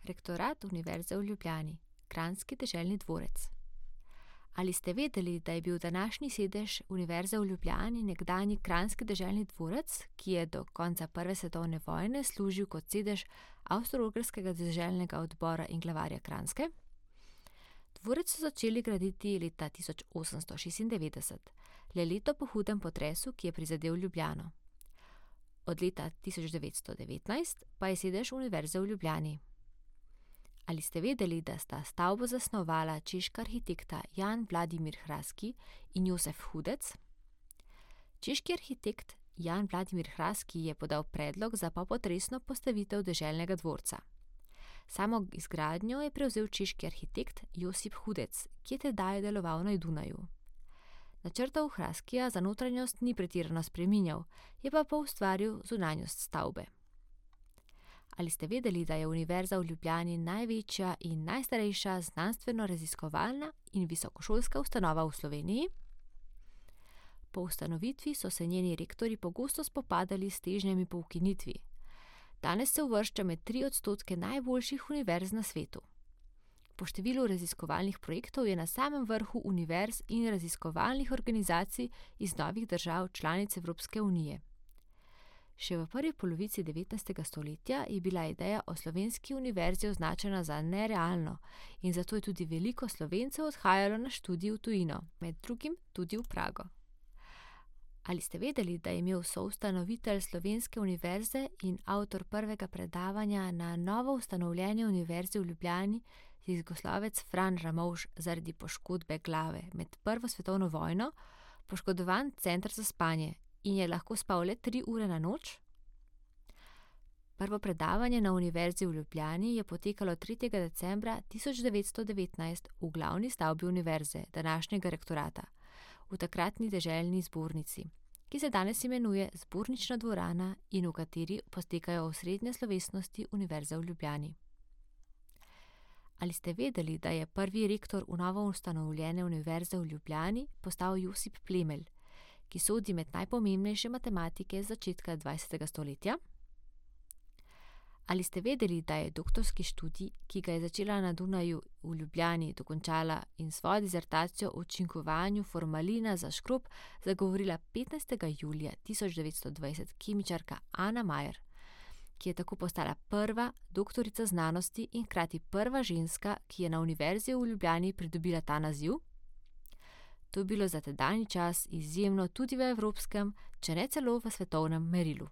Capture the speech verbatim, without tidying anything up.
Rektorat Univerze v Ljubljani, kranjski deželni dvorec. Ali ste vedeli, da je bil današnji sedež Univerze v Ljubljani nekdanji kranjski deželni dvorec, ki je do konca prve svetovne vojne služil kot sedež Avstro-Ogrskega deželnega odbora in glavarja Kranjske? Dvorec so začeli graditi leta tisoč osemsto šestindevetdeset, le leto po hudem potresu, ki je prizadel Ljubljano. Od leta tisoč devetsto devetnajst pa je sedež Univerze v Ljubljani. Ali ste vedeli, da sta stavbo zasnovala češka arhitekta Jan Vladimir Hraski in Josef Hudec? Češki arhitekt Jan Vladimir Hraski je podal predlog za popotresno postavitev deželnega dvorca. Samo izgradnjo je prevzel češki arhitekt Josip Hudec, ki je tedaj deloval na Dunaju. Načrtov Hraskija za notranjost ni pretirano spreminjal, je pa poustvaril zunanjost stavbe. Ali ste vedeli, da je Univerza v Ljubljani največja in najstarejša znanstveno-raziskovalna in visokošolska ustanova v Sloveniji? Po ustanovitvi so se njeni rektorji pogosto spopadali s težnjami po ukinitvi. Danes se uvršča med tri odstotke najboljših univerz na svetu. Po številu raziskovalnih projektov je na samem vrhu univerz in raziskovalnih organizacij iz novih držav članic Evropske unije. Še v prvi polovici devetnajstega stoletja je bila ideja o slovenski univerzi označena za nerealno in zato je tudi veliko Slovencev odhajalo na študij v tujino, med drugim tudi v Prago. Ali ste vedeli, da je imel soustanovitelj Slovenske univerze in avtor prvega predavanja na novo ustanovljeni Univerzi v Ljubljani jugoslovec Fran Ramovš zaradi poškodbe glave med prvo svetovno vojno poškodovan center za spanje in je lahko spal le tri ure na noč? Prvo predavanje na Univerzi v Ljubljani je potekalo tretjega decembra tisoč devetsto devetnajst v glavni stavbi univerze, današnjega rektorata, v takratni deželni zbornici, ki se danes imenuje Zbornična dvorana in v kateri potekajo osrednje slovesnosti Univerze v Ljubljani. Ali ste vedeli, da je prvi rektor v novo ustanovljene Univerze v Ljubljani postal Josip Plemelj, ki sodi med najpomembnejše matematike z začetka dvajsetega stoletja? Ali ste vedeli, da je doktorski študij, ki ga je začela na Dunaju v Ljubljani, dokončala in svojo disertacijo o učinkovanju formalina za škrob zagovorila petnajstega julija tisoč devetsto dvajset kemičarka Ana Majer, ki je tako postala prva doktorica znanosti in hkrati prva ženska, ki je na Univerzi v Ljubljani pridobila ta naziv? To je bilo za tedanji čas izjemno tudi v evropskem, če ne celo v svetovnem merilu.